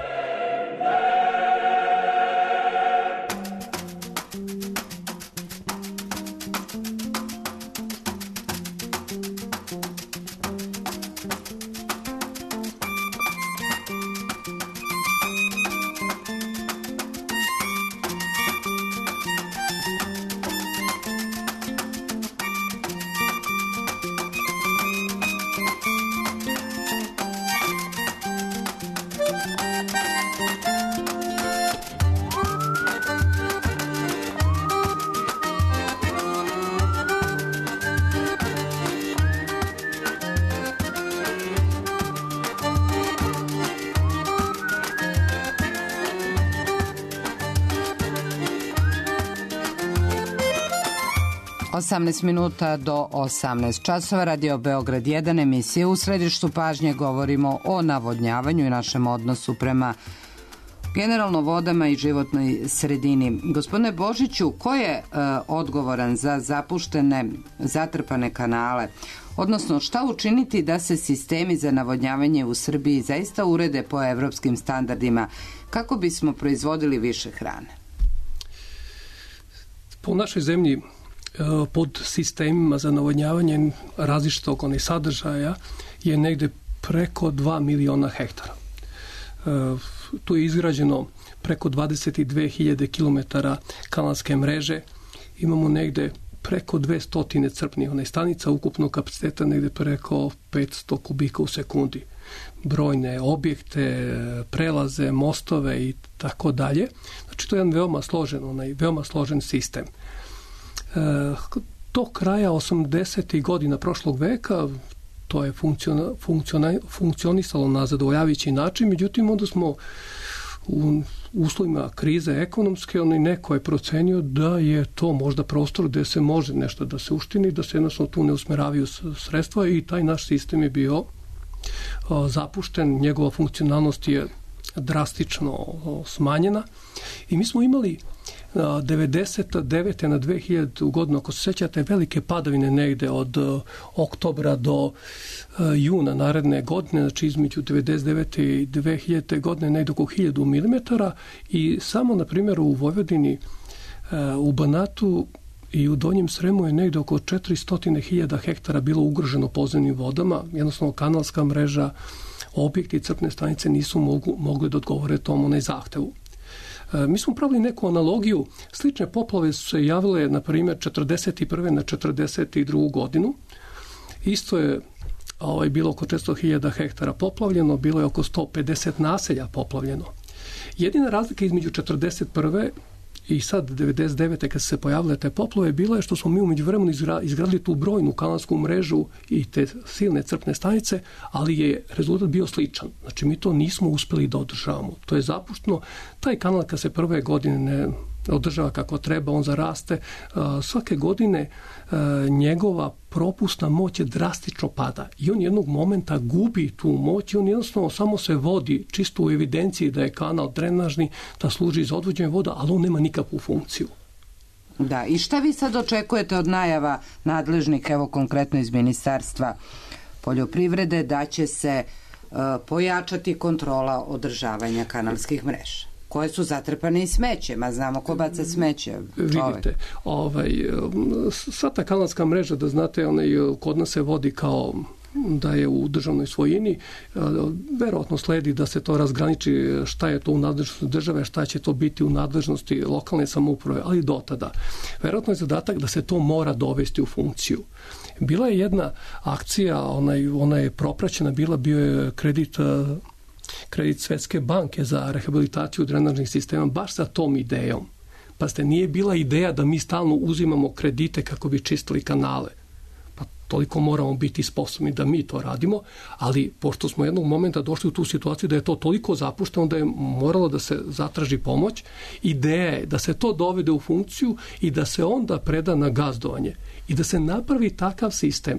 osamnaest minuta do osamnaest časova, Radio Beograd jedan, emisija U središtu pažnje. Govorimo o navodnjavanju i našem odnosu prema generalno vodama i životnoj sredini. Gospodine Božiću, ko je e, odgovoran za zapuštene, zatrpane kanale? Odnosno, šta učiniti da se sistemi za navodnjavanje u Srbiji zaista urede po evropskim standardima kako bismo proizvodili više hrane? Po našoj zemlji pod sistemima za navodnjavanje različitog onih sadržaja je negde preko dva miliona hektara. Tu je izgrađeno preko dvadeset dve hiljade kilometara kanalske mreže. Imamo negde preko dvesta crpnih onih stanica, ukupnog kapaciteta negde preko petsto kubika u sekundi. Brojne objekte, prelaze, mostove i tako dalje. Znači to je jedan veoma složen, onaj veoma složen sistem. Do kraja osamdesetih godina prošlog veka to je funkciona, funkciona, funkcionisalo na zadovoljavajući način, međutim onda smo u uslovima krize ekonomske, on neko je procenio da je to možda prostor gde se može nešto da se uštini, da se jednostavno tu ne usmeravaju sredstva i taj naš sistem je bio zapušten, njegova funkcionalnost je drastično smanjena i mi smo imali devedeset devete na dve hiljade godinu, ako se sećate, velike padavine negde od uh, oktobra do uh, juna naredne godine, znači između devedeset devete i dve hiljade godine negde oko hiljadu milimetara i samo, na primjer, u Vojvodini, uh, u Banatu i u Donjem Sremu je negde oko četiristo hiljada hektara bilo ugroženo podzemnim vodama, jednostavno kanalska mreža, objekti i crpne stanice nisu mogu, mogli da odgovore tomu onaj zahtevu. Mi smo pravili neku analogiju. Slične poplave su se javile, na primjer, četrdeset prve na četrdeset drugu godinu. Isto je ovaj, bilo oko četiristo hiljada hektara poplavljeno, bilo je oko sto pedeset naselja poplavljeno. Jedina razlika između četrdeset prve i sad devedeset devete kad se pojavile te poplave bila je što smo mi u međuvremenu izgradili tu brojnu kanalsku mrežu i te silne crpne stanice, ali je rezultat bio sličan. Znači mi to nismo uspeli da održavamo. To je zapušteno. Taj kanal kad se prve godine ne održava kako treba, on zaraste. Svake godine njegova propusna moć je drastično pada i on jednog momenta gubi tu moć i on jednostavno samo se vodi čisto u evidenciji da je kanal drenažni, da služi za odvođenje voda, ali on nema nikakvu funkciju. Da, i šta vi sad očekujete od najava nadležnih, evo konkretno iz Ministarstva poljoprivrede, da će se uh, pojačati kontrola održavanja kanalskih mreža, koje su zatrpane i smećem, a znamo ko baca smeće. Vidite, ovaj, sva ta kanalska mreža, da znate, onaj, kod nas se vodi kao da je u državnoj svojini, verovatno sledi da se to razgraniči šta je to u nadležnosti države, šta će to biti u nadležnosti lokalne samouprave, ali do tada. Verovatno je zadatak da se to mora dovesti u funkciju. Bila je jedna akcija, ona, ona je propraćena, bila bio je kredit kredit Svetske banke za rehabilitaciju drenažnih sistema baš sa tom idejom. Pa ste, nije bila ideja da mi stalno uzimamo kredite kako bi čistili kanale. Pa toliko moramo biti sposobni da mi to radimo, ali pošto smo jednog momenta došli u tu situaciju da je to toliko zapušteno da je moralo da se zatraži pomoć, ideja je da se to dovede u funkciju i da se onda preda na gazdovanje i da se napravi takav sistem,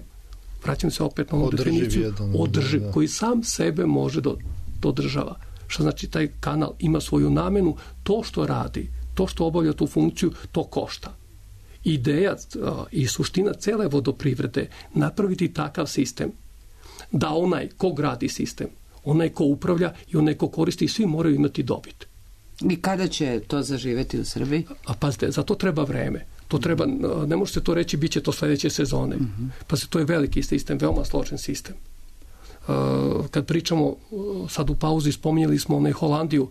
vraćam se opet na ovu definiciju, održiv, koji sam sebe može do održava. Što znači taj kanal ima svoju namenu, to što radi, to što obavlja tu funkciju, to košta. Ideja i suština cele vodoprivrede napraviti takav sistem da onaj ko gradi sistem, onaj ko upravlja i onaj ko koristi, svi moraju imati dobit. I kada će to zaživeti u Srbiji? A pazite, za to treba vreme. To treba, ne može se to reći, bit će to sledeće sezone. Mm-hmm. Pazite, to je veliki sistem, veoma složen sistem. Kad pričamo, sad u pauzi spominjali smo onaj Holandiju.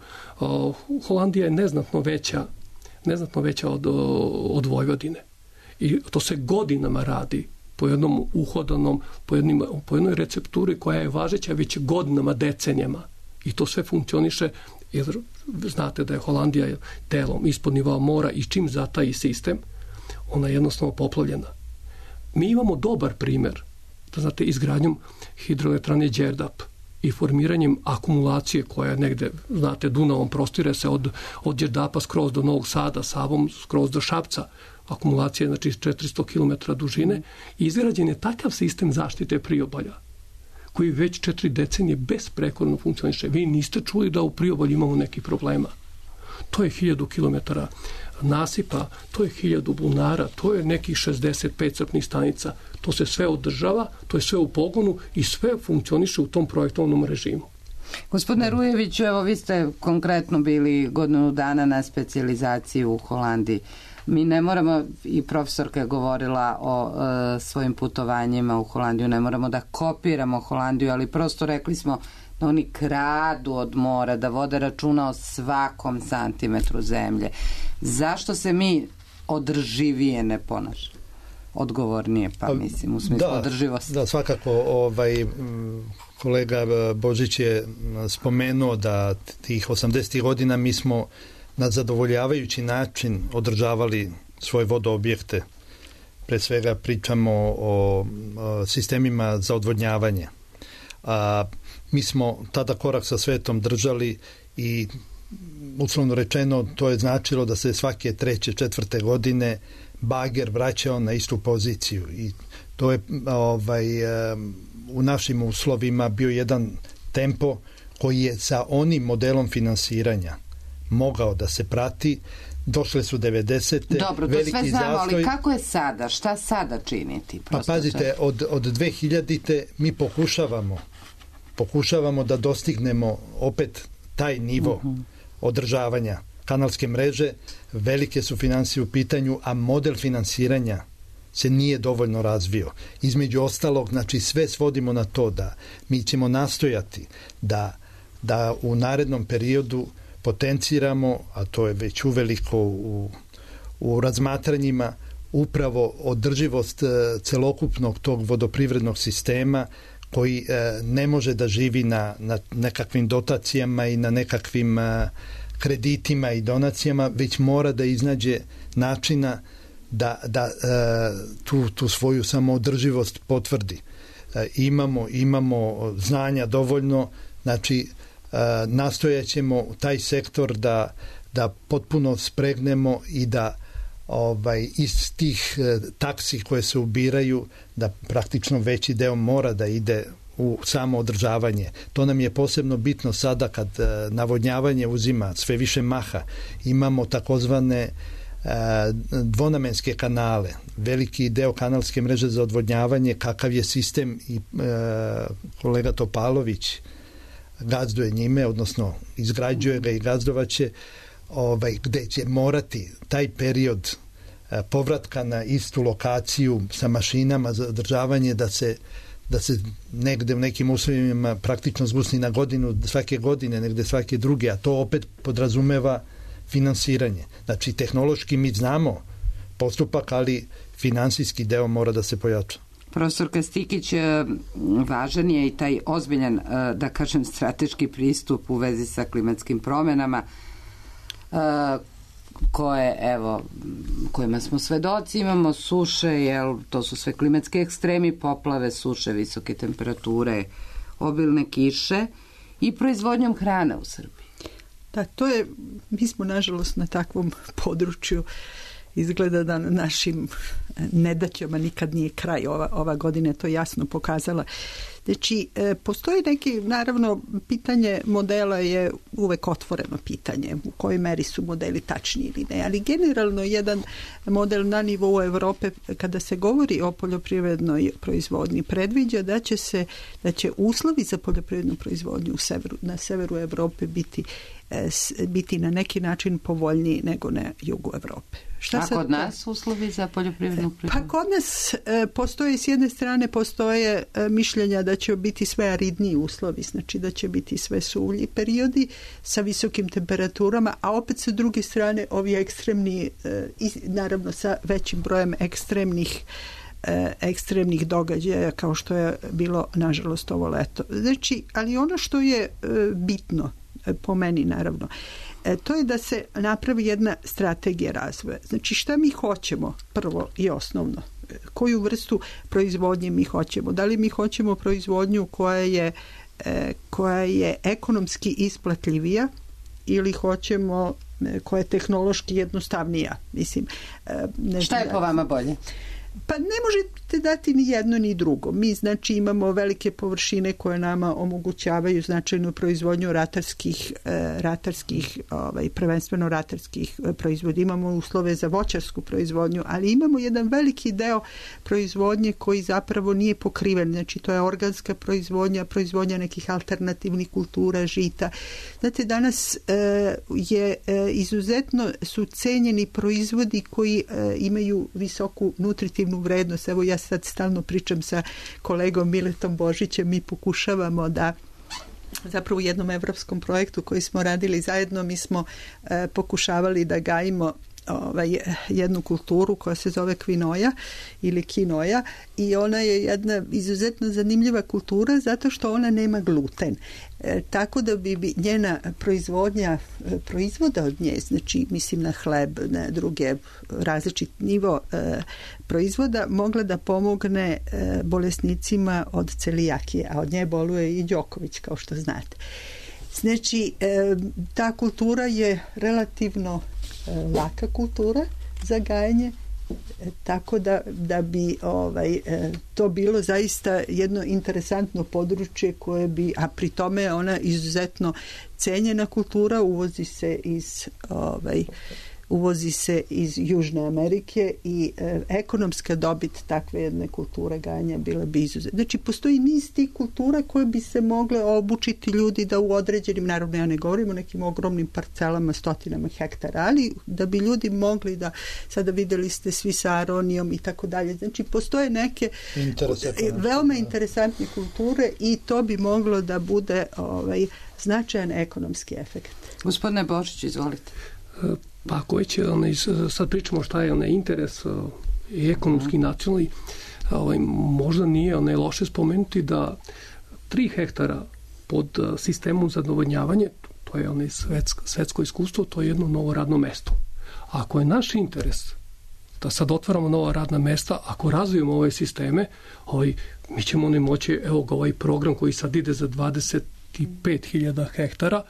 Holandija je neznatno veća, neznatno veća od, od Vojvodine. I to se godinama radi po jednom uhodanom, po, jednim, po jednoj recepturi koja je važeća već godinama, decenijama. I to sve funkcioniše, jer znate da je Holandija delom ispod nivoa mora i čim zataji sistem, ona je jednostavno poplavljena. Mi imamo dobar primer, da znate, izgradnjom hidroelektrane Đerdap i formiranjem akumulacije koja negde, znate, Dunavom prostire se od, od Đerdapa skroz do Novog Sada, Savom skroz do Šapca. Akumulacija je, znači, četiristo kilometara dužine i izgrađen je takav sistem zaštite priobalja koji već četiri decenije besprekorno funkcioniše. Vi niste čuli da u priobalju imamo neki problema. To je hiljadu kilometara nasipa, to je hiljadu bunara, to je nekih šezdeset pet crpnih stanica. To se sve održava, to je sve u pogonu i sve funkcioniše u tom projektovnom režimu. Gospodine Rujeviću, evo vi ste konkretno bili godinu dana na specijalizaciji u Holandiji. Mi ne moramo, i profesorka je govorila o e, svojim putovanjima u Holandiju, ne moramo da kopiramo Holandiju, ali prosto rekli smo da oni kradu od mora, da vode računa o svakom santimetru zemlje. Zašto se mi održivije ne ponašamo? Odgovornije, pa mislim, u smislu da, održivosti. Da, svakako, ovaj, kolega Božić je spomenuo da tih osamdesetih godina mi smo na zadovoljavajući način održavali svoje vodoobjekte. Pre svega pričamo o, o sistemima za odvodnjavanje. A, mi smo tada korak sa svetom držali i uslovno rečeno to je značilo da se svake treće, četvrte godine bager vraćao na istu poziciju i to je ovaj, u našim uslovima bio jedan tempo koji je sa onim modelom finansiranja mogao da se prati. Došle su devedesete. Dobro, to sve znamo, zastoj. Ali kako je sada? Šta sada činiti? Pa pazite, od, od dve hiljadite mi pokušavamo pokušavamo da dostignemo opet taj nivo uh-huh. održavanja kanalske mreže. Velike su finansije u pitanju, a model finansiranja se nije dovoljno razvio. Između ostalog, znači sve svodimo na to da mi ćemo nastojati da, da u narednom periodu potenciramo, a to je već uveliko u, u razmatranjima, upravo održivost celokupnog tog vodoprivrednog sistema koji ne može da živi na, na nekakvim dotacijama i na nekakvim kreditima i donacijama, već mora da iznađe načina da, da tu, tu svoju samoodrživost potvrdi. Imamo, imamo znanja dovoljno, znači nastojaćemo taj sektor da, da potpuno spregnemo i da ovaj, iz tih taksi koje se ubiraju, da praktično veći deo mora da ide u samo održavanje. To nam je posebno bitno sada kad navodnjavanje uzima sve više maha. Imamo takozvane dvonamenske kanale, veliki deo kanalske mreže za odvodnjavanje, kakav je sistem i e, kolega Topalović gazduje njime, odnosno izgrađuje ga i gazdovaće, ovaj, gde će morati taj period e, povratka na istu lokaciju sa mašinama za održavanje da se da se negde u nekim uslovima praktično zbusni na godinu, svake godine, negde svake druge, a to opet podrazumeva finansiranje. Znači, tehnološki mi znamo postupak, ali finansijski deo mora da se pojača. Profesor Kastikić, važan je i taj ozbiljan, da kažem, strateški pristup u vezi sa klimatskim promenama, koje, evo, kojima smo svedoci, imamo suše, jel, to su sve klimatske ekstremi, poplave, suše, visoke temperature, obilne kiše i proizvodnjom hrane u Srbiji. Da, to je, mi smo nažalost na takvom području, izgleda da na našim nedaćama nikad nije kraj. Ova, ova godina je to jasno pokazala. Znači, postoji neki, naravno, pitanje modela je uvek otvoreno pitanje, u kojoj meri su modeli tačni ili ne, ali generalno jedan model na nivou Evrope, kada se govori o poljoprivrednoj proizvodnji, predviđa da će se, da će uslovi za poljoprivrednu proizvodnju u severu, na severu Evrope biti biti na neki način povoljniji nego na jugu Evrope. Šta A kod nas uslovi za poljoprivrednu proizvodnju? Pa kod nas e, postoje, s jedne strane postoje e, mišljenja da će biti sve aridniji uslovi, znači da će biti sve suvlji periodi sa visokim temperaturama, a opet sa druge strane ovi ekstremni, e, i, naravno sa većim brojem ekstremnih e, ekstremnih događaja kao što je bilo nažalost ovo leto. Znači, ali ono što je e, bitno po meni naravno, e, to je da se napravi jedna strategija razvoja. Znači šta mi hoćemo prvo i osnovno? Koju vrstu proizvodnje mi hoćemo? Da li mi hoćemo proizvodnju koja je, e, koja je ekonomski isplatljivija ili hoćemo e, koja je tehnološki jednostavnija? Mislim, e, ne šta je da, po vama bolje? Pa ne možete dati ni jedno ni drugo. Mi znači imamo velike površine koje nama omogućavaju značajnu proizvodnju ratarskih, ratarskih ovaj, prvenstveno ratarskih proizvoda. Imamo uslove za voćarsku proizvodnju, ali imamo jedan veliki deo proizvodnje koji zapravo nije pokriven. Znači to je organska proizvodnja, proizvodnja nekih alternativnih kultura, žita. Znate, danas e, je e, izuzetno su cenjeni proizvodi koji e, imaju visoku nutritivnu vrednost. Evo ja sad stalno pričam sa kolegom Miletom Božićem, mi pokušavamo da zapravo u jednom evropskom projektu koji smo radili zajedno, mi smo e, pokušavali da gajimo ovaj, jednu kulturu koja se zove kvinoja ili kinoja i ona je jedna izuzetno zanimljiva kultura zato što ona nema gluten. E, tako da bi, bi njena proizvodnja e, proizvoda od nje, znači mislim na hleb, na druge različit nivo e, proizvoda, mogla da pomogne e, bolesnicima od celijakije, a od nje boluje i Đoković, kao što znate. Znači, e, ta kultura je relativno e, laka kultura za gajanje, e, tako da, da bi ovaj, e, to bilo zaista jedno interesantno područje koje bi, a pri tome je ona izuzetno cenjena kultura, uvozi se iz ovaj, uvozi se iz Južne Amerike i e, ekonomska dobit takve jedne kulture gajenja bila bi izuzetna. Znači, postoji niz tih kultura koje bi se mogle obučiti ljudi da u određenim, naravno ja ne govorim o nekim ogromnim parcelama, stotinama hektara, ali da bi ljudi mogli da, sada videli ste svi sa aronijom i tako dalje. Znači, postoje neke veoma interesantne kulture i to bi moglo da bude ovaj, značajan ekonomski efekt. Gospodine Božić, izvolite. Pa ako već sad pričamo šta je onaj interes i ekonomski i nacionalni, ovaj, možda nije onaj loše spomenuti da tri hektara pod sistemom za navodnjavanje, to je onaj svetsko, svetsko iskustvo, to je jedno novo radno mesto. Ako je naš interes da sad otvaramo nova radna mesta, ako razvijemo ove sisteme, ovaj, mi ćemo ne moći, evo ga ovaj program koji sad ide za dvadeset pet hiljada hektara,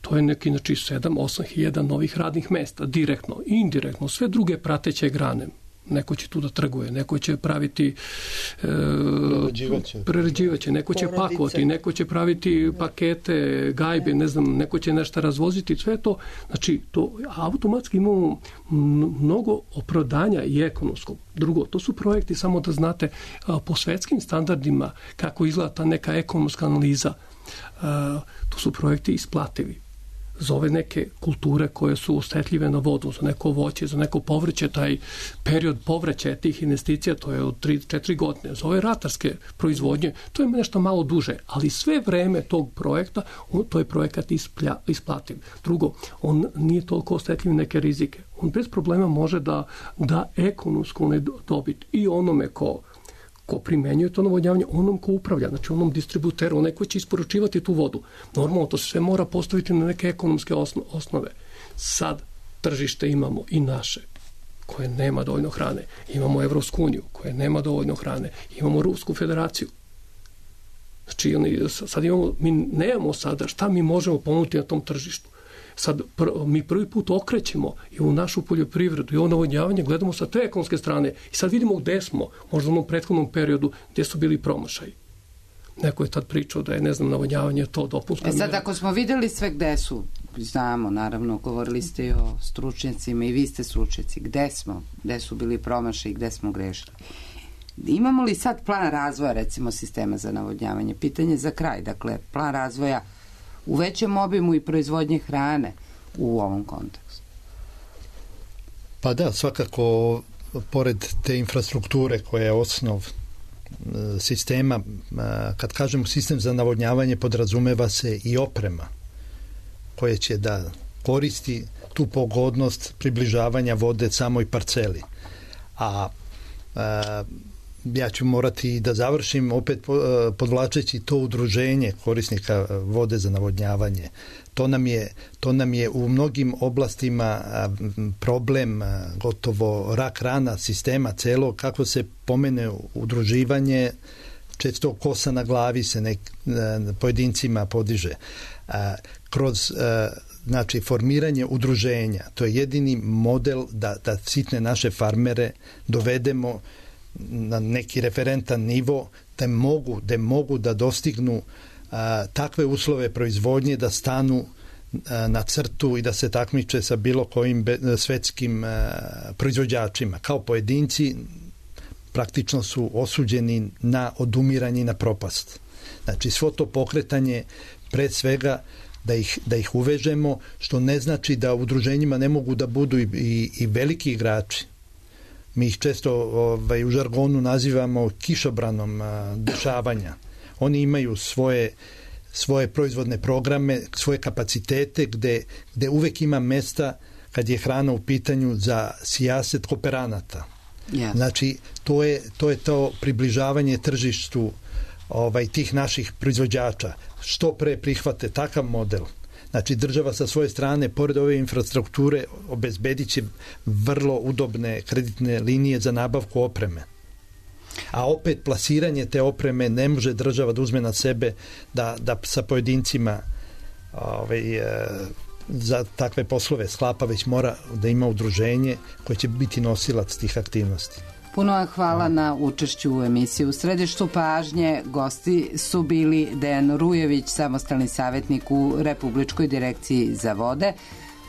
to je neki, znači, sedam do osam hiljada novih radnih mesta, direktno i indirektno, sve druge prateće grane. Neko će tu da trguje, neko će praviti e, prerađivaće, neko će Porodice. pakovati, neko će praviti pakete, gajbe, ne znam, neko će nešto razvoziti, sve to, znači, to automatski imamo mnogo opravdanja i ekonomskog. Drugo, to su projekti, samo da znate, po svetskim standardima kako izgleda ta neka ekonomska analiza, to su projekti isplativi. Za ove neke kulture koje su osetljive na vodu, za neko voće, za neko povrće, taj period povraćaja tih investicija, to je od tri do četiri godine. Za ove ratarske proizvodnje, to je nešto malo duže, ali sve vreme tog projekta, on, to je projekat isplja, isplativ. Drugo, on nije toliko osetljiv neke rizike. On bez problema može da da ekonomsku dobit i onome ko ko primenjuje to navodnjavanje, onom ko upravlja, znači onom distributeru, onaj ko će isporučivati tu vodu. Normalno, to se sve mora postaviti na neke ekonomske osnove. Sad tržište imamo i naše, koje nema dovoljno hrane. Imamo Evropsku uniju, koje nema dovoljno hrane. Imamo Rusku federaciju. Znači, sad imamo, mi nemamo sada šta mi možemo ponuditi na tom tržištu. Sad pr, mi prvi put okrećemo i u našu poljoprivredu i ovo navodnjavanje gledamo sa te ekonomske strane i sad vidimo gde smo, možda u onom prethodnom periodu gdje su bili promašaji. Neko je tad pričao da je, ne znam, navodnjavanje to dopunska mjera. E sad, ako smo videli sve gde su, znamo, naravno, govorili ste i o stručnjacima i vi ste stručnjaci, gde smo, gde su bili promašaji, gde smo grešili. Imamo li sad plan razvoja, recimo, sistema za navodnjavanje? Pitanje za kraj, dakle, plan razvoja u većem obimu i proizvodnje hrane u ovom kontekstu? Pa da, svakako, pored te infrastrukture koja je osnov sistema, kad kažemo sistem za navodnjavanje, podrazumeva se i oprema koja će da koristi tu pogodnost približavanja vode samoj parceli. A, a ja ću morati da završim opet podvlačeći to udruženje korisnika vode za navodnjavanje. To nam je, to nam je u mnogim oblastima problem, gotovo rak rana sistema celo, kako se pomene udruživanje, često kosa na glavi se nek, pojedincima podiže. Kroz znači formiranje udruženja, to je jedini model da, da sitne naše farmere dovedemo na neki referentan nivo, da mogu, da mogu da dostignu a, takve uslove proizvodnje da stanu a, na crtu i da se takmiče sa bilo kojim be, svetskim a, proizvođačima. Kao pojedinci praktično su osuđeni na odumiranje i na propast. Znači, svo to pokretanje pre svega da ih, da ih uvežemo, što ne znači da u udruženjima ne mogu da budu i, i, i veliki igrači. Mi ih često ovaj, u žargonu nazivamo kišobranom a, dešavanja. Oni imaju svoje, svoje proizvodne programe, svoje kapacitete gde, gde uvek ima mesta kad je hrana u pitanju za sijaset kooperanata. Yes. Znači, to je, to je to približavanje tržištu ovaj, tih naših proizvođača. Što pre prihvate takav model. Znači, država sa svoje strane, pored ove infrastrukture, obezbedit će vrlo udobne kreditne linije za nabavku opreme. A opet, plasiranje te opreme ne može država da uzme na sebe da, da sa pojedincima ovaj, za takve poslove sklapa, već mora da ima udruženje koje će biti nosilac tih aktivnosti. Puno vam hvala na učešću u emisiji. U središtu pažnje gosti su bili Dejan Rujević, samostalni savjetnik u Republičkoj direkciji za vode,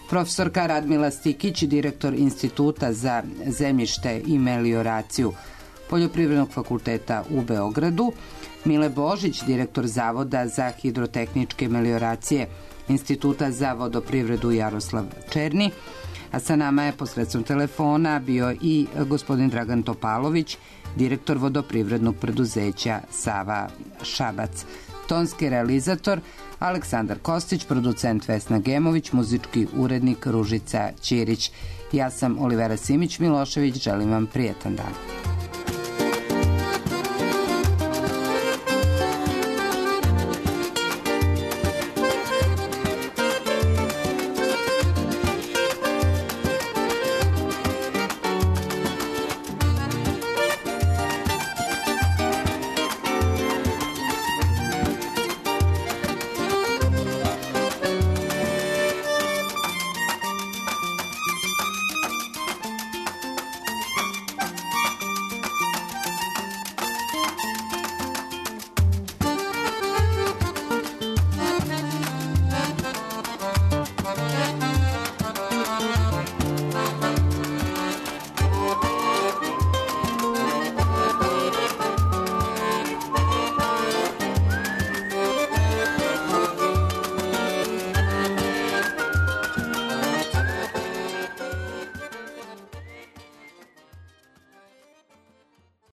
profesorka Radmila Stikić, direktor Instituta za zemljište i melioraciju Poljoprivrednog fakulteta u Beogradu, Mile Božić, direktor Zavoda za hidrotehničke melioracije Instituta za vodoprivredu Jaroslav Černi, a sa nama je posredstvom telefona bio i gospodin Dragan Topalović, direktor vodoprivrednog preduzeća Sava Šabac. Tonski realizator Aleksandar Kostić, producent Vesna Gemović, muzički urednik Ružica Ćirić. Ja sam Olivera Simić Milošević, želim vam prijetan dan.